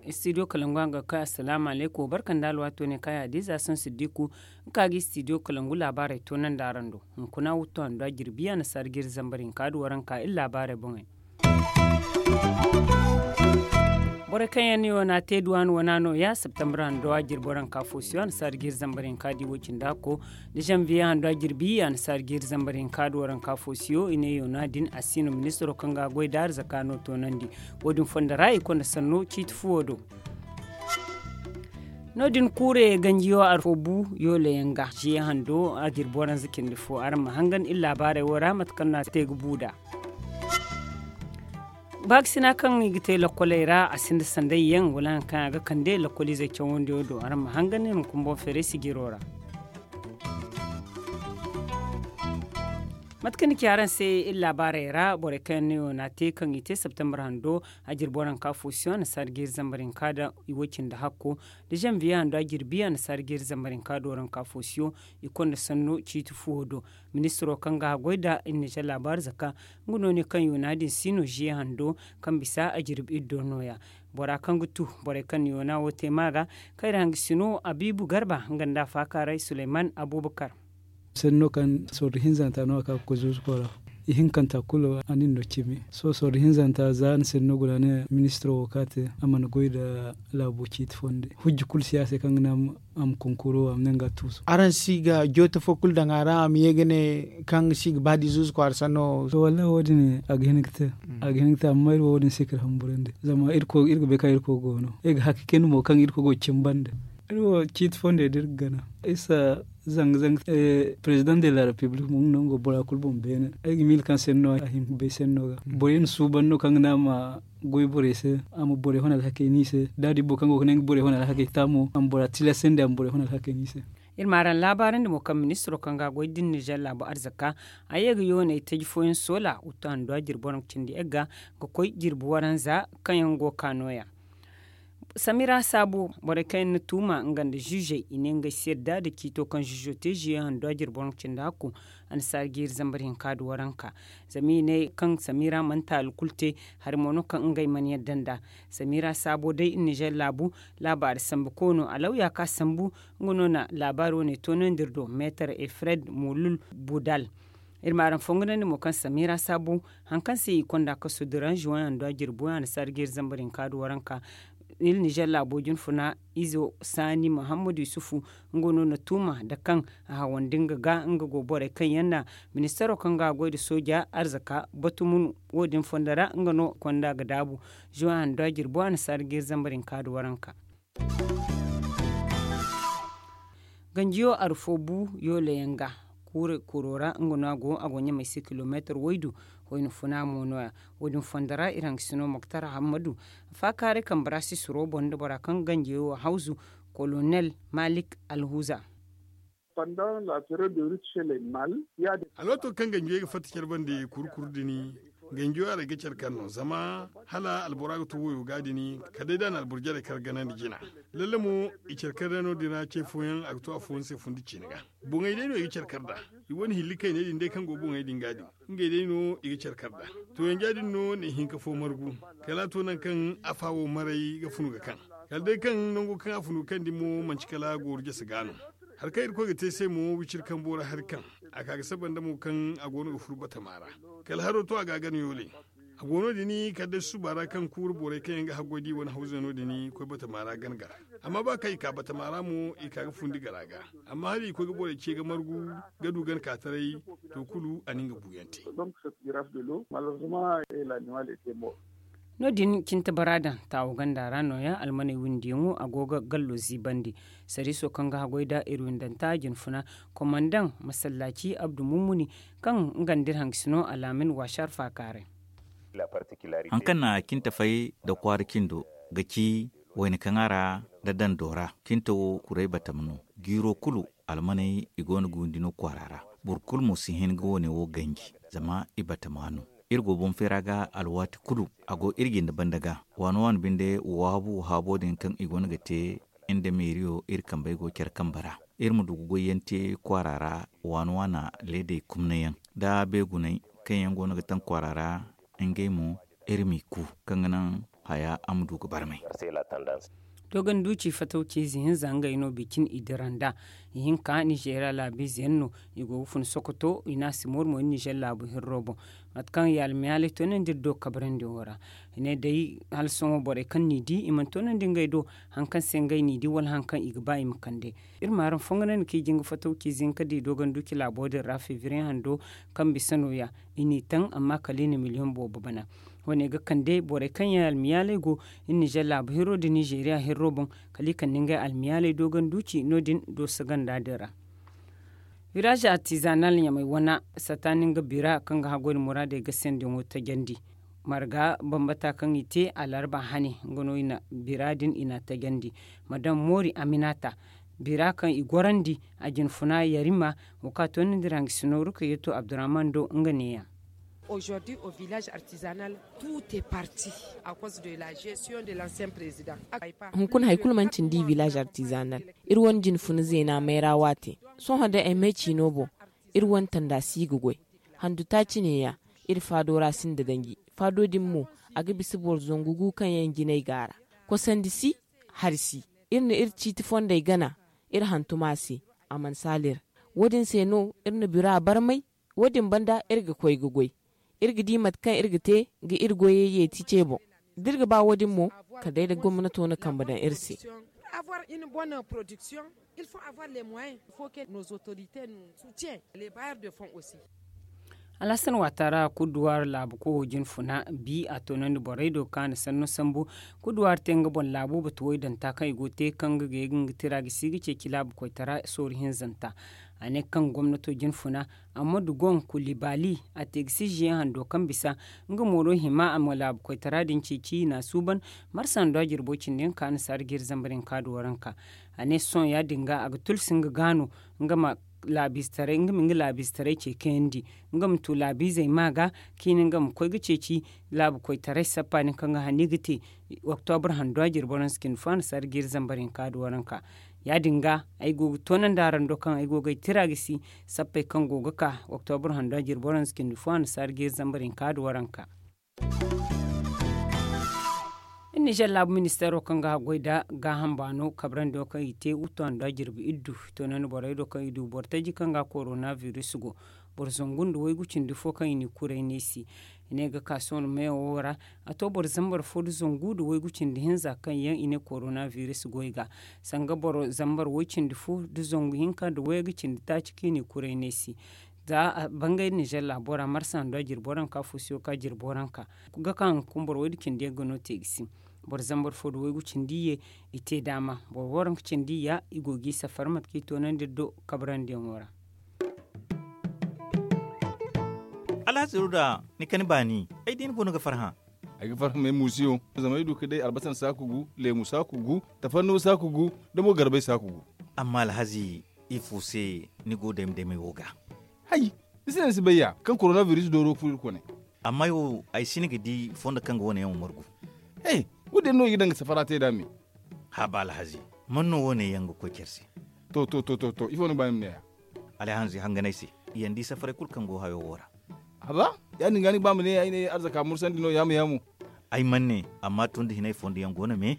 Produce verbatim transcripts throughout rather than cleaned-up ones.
Istidiyo kalangu a ga kay asalaamu aleykum barka nda alwaato ne kaŋ ya da ize a san siddiku. Nga ka ga istidiyo kalangu laabaarey toonandi araŋ do. Hunkuna wuttu handu a jirbi a na sarjiri zambar hinka da waranka iri laabaarey boŋey. Borey kaŋ yaŋ no i wane a te duw'a no wana no ya septembre hando a jirbi waranka fo si yo a na sarjiri zambar hinka da i wo cindi hakko. Da zanviye hando a jirbi a na sarjiri zambar hinka da waranka fo si yo i ne yoona din a si no ministiro kaŋ ga a goy da arzaka no toonandi. Wo- din fondo ra i konda sanno ciiti fuwo do. No- din kuure ganjiyo arfo bu yoole yaŋ ga ziye hando a jirbi waranza cindi fo araŋ ma hangan iri laabaarey wo ra mate kaŋ no a te ga bu nd'a. Baakasina kaŋ i ga te lokkoley ra a sinda sanday yaŋ wala hari kaŋ a ga kande lokkoliizey cawandiyo do araŋ ma hangan iri ma kumboŋ feeray sijiro ra. Mate kaŋ ni ci araŋ se iri laabaarey ra borey kaŋ yaŋ no i wane a te kaŋ i te septembre hando a jirbi waranka fo si yo a na sarjiri zambar hinka da i wo cindi hakko. Da zanviye hando a jirbi a na sarjiri zambar hinka da waranka fo si yo. I konda sanno ciiti fuwo do. Ministiro kaŋ ga a goy nda iri na zallaabu arzaka nga no ne kaŋ yoona din si no ziye hando kaŋ bisa a jirbi iri do nooya. Bora kaŋ ga tu borey kaŋ na yoona wo te ma ga kayra hangasino abiibu garba nga nda a faakaaray suleyman abuubakar. Senno kaŋ sorro hinzanta no a ka ga koy zuuzuko ra. Ihinkanta kulu a na iri no cimi sohõ sorro hinzanta za a na senno guna ne ministiro wo ka te a mana goy nda laabo ciiti fonde hujja kulu si a se kaŋ ga naŋ a ma konkoro a ma ne nga tuusu. Araŋ si ga jooto fo kulu daŋ a ra a ma ye ga ne kaŋ si ga ba da ize kwaara sanno wo. Wallahi wo- din a ga hin ga te. A ga hin ga te amma iri wo wo- din se k'iri hamburandi zama iri ga bay kaŋ iri koy go no iri ga hakka kayna mo kaŋ iri koy go cimba nda iri wo ciiti fonde da iri ga gana isa zanga zanga. President de la republic mo nga no nga go bora kulu boŋ beene ay ga miila kaŋ senno a hin ga bay senno ga borey na suuban no kaŋ ga ne a ma goy borey se a ma borey hon alhakey no i se da a di boro kaŋ go ga ne nga borey hon alhakey ta mo a ma bora tilasandi a ma borey hon alhakey no i se. Iri ma araŋ laabaarandi mo kaŋ ministiro kaŋ ga a goy din nizer laabu arzaka a ye ga yooney taji fooyaŋ soola wuttu handu a jirbi waranka cindi yagga ga koy jirbi waranza kaŋ yaŋ go ga ka nooya. Samira saabo borey kaŋ yaŋ na tuuma nga nda ziizey i ne ngey si yadda nda ciito kaŋ ziizo te ziiyaŋ handu a jirbi waranka cindi hakku. A na saara jiiri zambar hinka nda waranka zama i ne kaŋ samira mana taali kulu te. Hari mo no kaŋ ngey mana yadda nd'a. Samira saabo day nizer laabu laabaari sambu koono alawya kaŋ a sambu nga no na laabaari wane toonandi iri do meetar efred mulul budal. Iri ma araŋ fonganandi mo kaŋ samira saabo hari kaŋ se i konda kaso dira zuway handu a jirbi way a na saara jiiri zambar hinka nda waranka. Iri nizer laabo jinfuna izo saani muhammad yusufu nga no na tuuma nda kaŋ a hawandi nga ga nga go borey kaŋ yaŋ na ministaro kaŋ ga a goy nda sooja arzaka batumun wo- din fondo ra nga no konda ga daabu. Zuway handu a jirbi a na saara jiiri zambar hinka nda waranka. Ganjiyo arfo bu yoole yaŋ ga kuure kuro ra nga no a go a go ɲamey se kilomeetar waydu. Hoyna funa mo no- ya wo- din fondo ra iri hangasino moktar hammadu. Faakaaray kambe ra sisiro boŋ nda bora kaŋ ga ganjiyo wo hawzu kolonel malik alhuza. Alwaato kaŋ ganjiyey ga fatta care bande kuru kuru din. Ganjiyo haray ga care kaŋ no zama hala albora ga to wayo ga din kala day da a na alboro jarey kar ganandi jina. Lalle mo i care kar day no- din ra ce fooyaŋ a ga to afooyaŋ se fundi ciine ga. Boŋey day no i ga care kar nd'a. I wane hilli kayney din day kaŋ go boŋey din ga din ngey day no i ga care kar nd'a. To yanja din no na ihinka fo margu kala a to nangu kaŋ afa wo maray ga funu ga kaŋ kala day kaŋ nango kaŋ a funu ga kaŋ din mo manti kala gooru jase ga no. Hari kaŋ irkoy ga te se mo wiciri kambo ra hari kaŋ a ka ga saba nda mo kaŋ a go no ga furu batama ra. Kala haro to a ga a gana yoole. A go no- din kala day susuba ra kaŋ kuuru borey kaŋ yaŋ ga haggoy da i wane hawzey no- din koy batama ra gana gar. Amma ba kaŋ i ka batama ra mo i ka ga fundi gara ga. Amma hala i koy ga borey ce ga margu ga du gana ka taray to kulu a na nga buuyaŋ te. No- din cinta bara daŋ taawo ganda ra nooya almaney windiyaŋo a go ga gallo ziibandi. Sariiso kaŋ ga haggoy nda iri windanta jinfuna komandaŋ masallaaci abdu mummuni kaŋ nga nda iri hangasino alaamin waasar faakaaray. Hari kaŋ na cinta fay nda kwaara cindo ga ci wayna kaŋ a ra nda dando ra cinta wo kuray batama no. Jiiro kulu almaney i go no ga windi no kwaara ra. Boro kulu mo si hin ga wane wo ganji zama i batama no. Iri go boŋ feera ga alwaati kulu a go iri jinde banda ga waano waano binde wahabu wahaabo din kaŋ i go no ga te. Nda meeriyo iri kambey go care kambe ra, iri ma du ga goyyaŋ te kwaara ra, waana waana leedey kumnayaŋ, da beeguney kaŋ yaŋ go no ga taŋ kwaara ra, ngey mo iri m'i ku, kaŋ ga naŋ haya a ma du ga barmay. Dogon duuci fatawci ize hinza ngey no bicin i dira nd'a. Ihinka nizeeriya laabiize yaŋ no, i go ga fun sokoto i ne a si moori mo iri nizeer laabu hirro boŋ. Mate kaŋ i almiyaaley toonandi iri do kabrandi wo ra, i ne day hala sohõ borey kaŋ n'i di i mana toonandi ngey do, hari kaŋ se ngey n'i di wala hari kaŋ i ga ba i ma kande. Iri ma araŋ fonganandi kaŋ i jin ga fatawci ize hinka da i dogon duuci laabo din ra febriye hando, kaŋ bisa nooya i n'i taŋ amma kala i na miliyoŋ boobo bana. Wo- ne ga kande borey kaŋ yaŋ almiyaaley go iri nizeer laabu hirro nda nizeeriya hirro boŋ, kala i kande ngey almiyaaley dogon duuci no- din dooso ganda din ra. Wiraaze artizanal ɲamay wana, sataani nga bira kaŋ ga haggoy nda muraadey gasendiyaŋo tajandi. Marga bambata kaŋ i te alarba hane nga no i na bira din i n'a tajandi. Madam moori aminata, bira kaŋ i gorandi a jinfuna yarima, wo kaŋ a toonandi ra hangasino rukayatu abdurrahman do nga neeya. Hunkuna hari kulu mana cindi i village artisanal. Iri wane jinfuna zeena mayra waate. Sohõ day ay may ciino boŋ, iri wane tanda si ga goy. Handu taaci neeya, iri faado ra sinda danji. Faado din mo, a ga bisa boro zangu gu kaŋ yaŋ jinay go a ra. Kosandi si, hari si. Iri na iri ciiti fondey gana, iri hantum a se, a mana saali ra. Wo- din se no iri na bira barmay. Wo- din banda iri ga koy ga goy. Iri ga di mate kaŋ iri ga te ga iri goyey yeeti ce boŋ. Da iri ga ba wo- din mo, kala day da gomnato na kambe daŋ iri se. Alhasan waata ra kuduwaari laabu kowo jinfuna bi a toonandi borey do kaŋ a na sanno sambu. Kuduwaari te nga boŋ laabu batu woy danta kaŋ i go ga te kaŋ ga gay ga nga tira gisi ga ceeci laabu koytara sooru hinzanta. A ne kaŋ gomnato jinfuna, ammadu gon kulibali, a te ga si ziyaŋ hando kaŋ bisa nga mooro hima a ma laabu koytara din ceeci i n'a suuban. Marsa hando a jirbo cindi nga ka nasaara ga iri zambar hinka da waranka. A ne sohõ ya- din ga a ga tulsi nga gaano nga ma laabiize taray nga ma nga laabiize taray ce kayandi, nga ma tu laabiizey ma ga, kaŋ i na nga ma koy ga ceeci laabu koytaray sappa din kaŋ ga hanni ga te. Oktobur hando a jirbo ranse cindi fo a nasaara ga iri zambar hinka da waranka. Ya- din ga ay go ga toonandi araŋ do kaŋ ay go ga ay tira gisi sappey kaŋ go ga ka. Oktobur hando a jirbo ranse cindi fo a nasaara ga iri zambar hinka da waranka. Iri nizeer laabu ministeero kaŋ ga haggoy nda gaaham baano kabrandi wo kaŋ i te wuttu hando a jirbi iddu, toonandi borey do kaŋ i du boro taji kaŋ ga korona virus go. Boro zangu nda waygu cindi fo kaŋ i n'i kuray neesi. I ne ga ka sohõ meewo wo ra, a to boro zambar fo nda zangu nda waygu cindi hinza kaŋ yaŋ i ne korona virus goy ga. Sanga boro zambar way cindi fo nda zangu hinka nda waygu cindi taaci kaŋ i n'i kuray neesi. Za a bangay nizeer laabo ra marsa hando a jirbo ranka fusiyo ka jirbo ranka, ga ka haŋ ga kumboro waydu cindi yaŋ ga no te ga si. Boro zambar fo nda waygu cindi ye, i te daama boro waranka cindi ya i go g'i safar mate kaŋ i toonandi iri do kabrandiyaŋo ra. Alhazi ruda, ni kani baani, ay diina boŋ no ga farhã. Ay ga farhã me muusiyo, zama ay du ka day albasan saaku gu, leemu saaku gu, tafannuwa saaku gu, da mo garbay saaku gu. Amma alhazi, ifo se ni go dayma daymay wo ga? Hay, ni si ne ni si bay ya kaŋ korona biris dooro furo iri kone. Amma yo ay si ni ga di fondo kaŋ ga wane yaŋ wo margu. He, wo- din no i ga daŋ ga safara te nd'a me. Haba alhazi, man no wane yaŋ ga koy care se? To to to to to ifo ni ga ba ni ma ne ya? Alhazi hanganay se, i yaŋ di safaray kulu kaŋ go hayo wo ra. Haba, ya- din ga ni ga ba ma ne ay ne arzaka mursandi no yaamu yaamu. Ay man ne, amma tun da hinay fondo yaŋ go no me.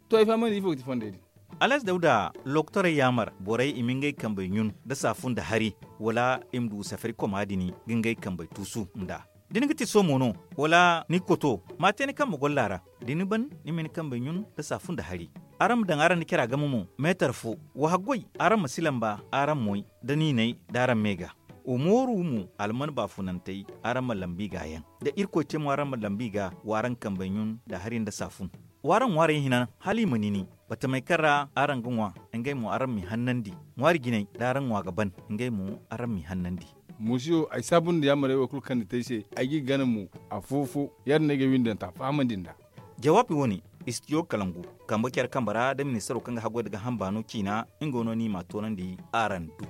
To ay fahamandi ifo ga ti fondey din? Alhazi dawda, lokotorey yaamar borey i ma ngey kambey ɲun nda saafun nda hari, wala i ma du safari koma din ga ngey kambey tuusu nd'a. Da ni ga ti somo no, wala ni koto, ma a te ni kambe golla ra. Da ni ban, ni ma ni kambey ɲun nda saafun nda hari. Araŋ ma daŋ araŋ nda cara game mo meetar fo. Wa haggoy, araŋ ma si lamba araŋ moy, da niinay da araŋ me ga. Wa mooru mo alman baafunantey, araŋ ma lambu i ga yaŋ. Da irkoy te mo araŋ ma lambu i ga, wa araŋ kambey ɲun nda hari nda saafun. W'araŋ ŋwaarey hinan hala i ma nini, batamey kaŋ ra araŋ ga ŋwa, ngey mo araŋ m'i hannandi. Ŋwaari jinay da araŋ ŋwa ga ban, ngey mo araŋ m'i hannandi. Muusiyo, ay saabu nda yaamarey wo kulu kaŋ ni te ay se, ay g'i gana mo afo-fo. Ya- din no ay ga ay windanta fahamandi nd'a. Jawaabi wo-ne, istijo kalangu, kambe care kambe ra da ministaro kaŋ ga haggoy nda gaaham baano ciina, nga no ni m'a toonandi araŋ do.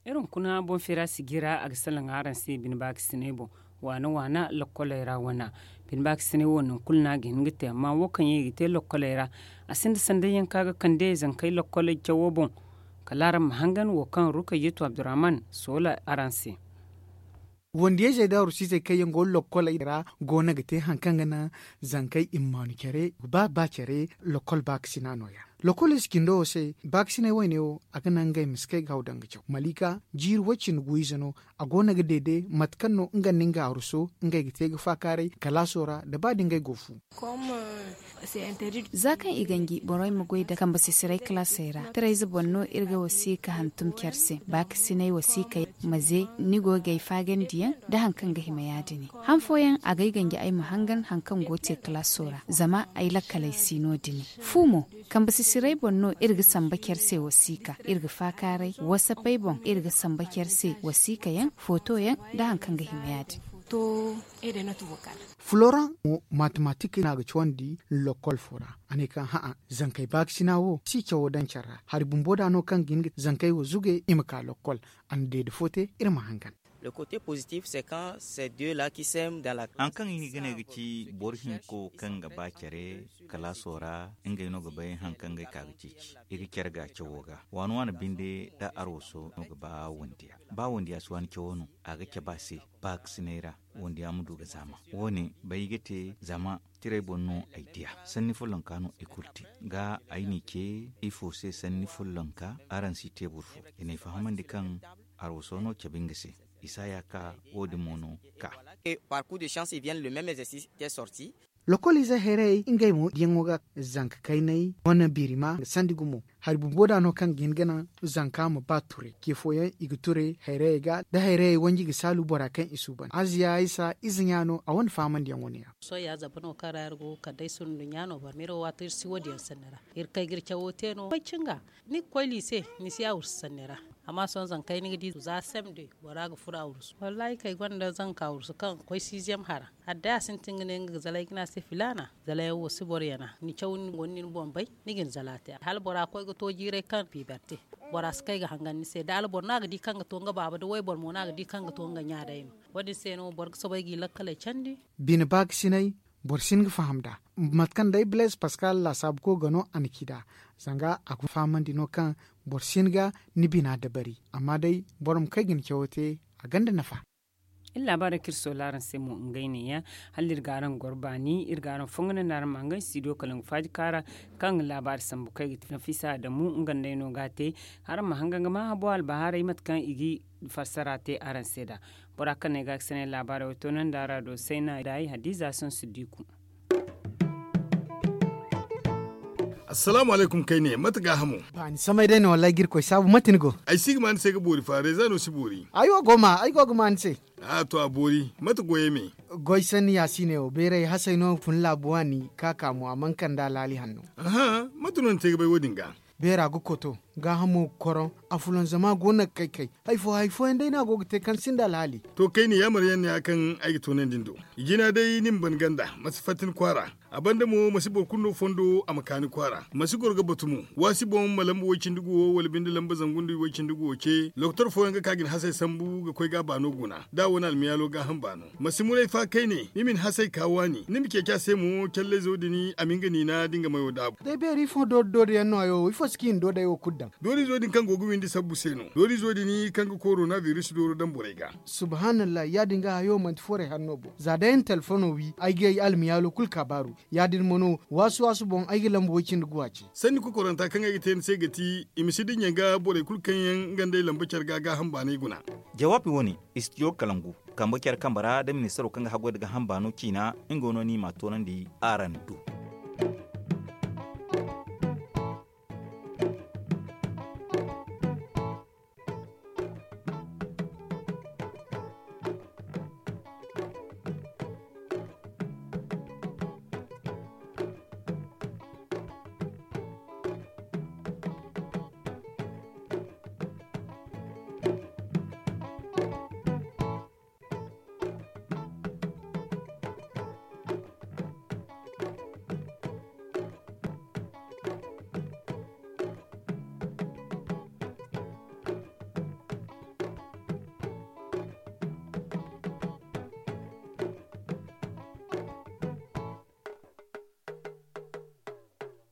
Iri hunkuna boŋ feera sijira a ga salaŋ araŋ se bine baakasinay boŋ. Waana waana lokkoley ra wana. Bine baakasinay wo nangu kulu no a ga hin ga te amma wo kaŋ yaŋ i ga te lokkoley ra, a sinda sanday yaŋ kaŋ a ga kande zankey lokkoley cawo boŋ. Kala araŋ ma hangan wo kaŋ rukayyetu abdurrahman soola araŋ se. Wandiyayzey nda arusiizey kaŋ yaŋ go lokkoley ra go no ga te hari kaŋ ga naŋ zankey i ma maanu care ba ba care. Lokkol baakasina no- ya lokol ize cindo wo se. Baakasinay wayne wo a ga naŋ ngey ma si kay ga haw daŋ ga caw malika jiiri way- cindi gu ize no. A go no ga deede mate kaŋ no nga nda nga aruso ngey ga te ga faakaaray kalaaso ra nda ba da ngey go fu. Za kaŋ i ganji borey ma goy nda kambe sisiray kalaasey ra tirayze boŋ no iri ga wasiika hantum care se baakasinay wasiika yaŋ ma ze ni go ga ay faagandiyaŋ nda hari kaŋ ga hima ya- din. Han fooyaŋ a ga ay ganji ay ma hangan hari kaŋ go ga te kalaaso ra zama ay lakkaley si no- din. Fu mo, kambe sisiray boŋ no iri ga samba care se wasiika iri ga faakaaray wasapey boŋ iri ga samba care se wasiika yaŋ footo yaŋ nda hari kaŋ ga hima ya- din. Floran mo matematik no a ga cawandi lokkol fo ra. A ne kaŋ hã'a zankey baakasina wo si cawo daŋ care ra hari bumbo da no kaŋ ga hin ga zankey wo zuge i ma ka lokkol. A na deede fo te iri ma hangan. Hari kaŋ i ga ne ga ci boro hinko kaŋ ga ba care kalaaso ra ngey no ga bay hari kaŋ ga ay ka ga ceeci i ga care ga cawo ga waani waani binde da arwaso no ga ba wandiya ba wandiya si waani cawo no a ga cabe a se baakasinay ra. Wandiya ma du ga zaama wo- ne bay ga te zama tiray boŋ no ay diya sanni follonka no i kulu te ga ay n'i ce ifo se sanni follonka araŋ si te boro fo i n'ay fahamandi kaŋ arwaso no cabe nga se. Isa ya ka wo- din mo no ka. Parcours de chance i viennent le même exercice te sorti. Lokol ize hayrayey ngey mo diyaŋo ga zanka kaynay wane birima ga sandi gumo hari bumbo da no kaŋ ga hin ga naŋ zanka ma ba turay ce fooyaŋ i ga turay hayrayey ga da hayrayey wanji ga saalu bora kaŋ i suuban aziya isa ize ɲa no a wane faamandiyaŋo ne ya. Sohõ ya zaba no kaŋ ra iri go ga kande ay sundu ɲa no boro ma iri wo waato iri si wo- din yaŋ sanni ra. Iri kay ga iri cawo te no koy cinga ni ga koy liise ni si ya wursu sanni ra. Amma sohõ zankey ni ga di za sem de bora ga furo a wursu wallaahi kay gonda zanka wursu kaŋ ga koy siiziyam hara. Hala day a sintin ga ne nga ga zalay ga ne a se filaana zalayaŋ wo si boro yana ni caw ni guna ni boŋ bay. Ni ga ni zala te hala bora koy ga to jiiray kaŋ piibar te. Bora si kay ga hangan ni se da alboro no a ga di kaŋ ga to nga baaba da wayboro mo no a ga di kaŋ ga to nga ɲa day no. Wo- din se no boro ga soobay g'i lakkaley candi. Bine baakasinay boro si hin ga faham nd'a. Mate kaŋ day blaise paskal laasaabu koy ga no a na ci nd'a. Zanga a ga fahamandi no kaŋ boro si hin ga ni bina dabari amma day boro ma kay ga ni cawo te. A gonda nafa. Iri laabaarey kaŋ iri soola araŋ se mo ngey neeya. Hala iri ga araŋ goro baani iri ga araŋ fongu nda araŋ ma nga studio kala nga faaji kaara kaŋ laabaari sambu kaŋ ay ga ti nafisa adamu nga nda ay no ga a te. Araŋ ma hangan ga maa habo albahaarey mate kaŋ i ga fassara te araŋ se nd'a. Bora kaŋ no ay ga a ga sanay laabaarey wo toonandi araado sayna daay hadiiza sansu diiku. Assalaamu alaykum kayne mate gaahamo? Baani samay day no wallaahi ga irkoy saabu mate ni go? Ay si ga ma ni se ga boori fa reeza no si boori. Ay wo go ma ay go ga ma ni se. A to a boori mate goyey me? Goy sanni ya si ne wo beeray hasay no fun laabu waani ka ka mo a mana kande alaali hanno. Aha mate no ni te ga bay wo- din ga? Beera ga koto gaahamo ga koroŋ. Afulanzama go no ga kay kay. Hari fo hari fooyaŋ day no a go ga te kaŋ sinda alhaali. To kayne yaamar yaŋ no ya kaŋ ay ga toonandi ni do. Jina day ni ma ban ganda ma si fatta ni kwaara. A banda mo ma si boro kulu no fondo a ma ka ni kwaara ma si goro ga batu mo. Waasi boŋ ma lamba way-cindi-gu wo wala binde lamba zangundi way-cindi-gu wo ce lokotor fooyaŋ ga ka ga ni hasey sambu ga koy ga a baano guna da a wane almiyaalo gaaham baano. Ma si muray fa kayne ni ma ni hasey ka waani ni ma ceeci a se mo callayzo din a ma nga niina da nga mayo daabu. Day beeri ifo doori doori yaŋ no hayo wo ifo si kaŋ i na doodey wo kulu daŋ? Doorizo din kaŋ go ga windi sabbu se no doorizo din kaŋ ga korona biris dooro daŋ borey ga. Subhaanallah ya- din ga hayo manti forey hanno boŋ za day ay na telefono wi ay ga ay almiyaalo kulu ka baaru. Ya- din mo no waasu waasu boŋ ay ga lamba way- cindi guwa ce. Sanni kokoranta kaŋ ay ga te ni se ga ti i ma si dinya ga borey kulu kaŋ yaŋ nga nd'ey lamba care ga gaaham baanay guna. Jawaabi wo- ne istijo kalangu kambe care kambe ra da ministaro kaŋ ga haggoy nda gaaham baano ciina. Nga wo no ni m'a toonandi araŋ do.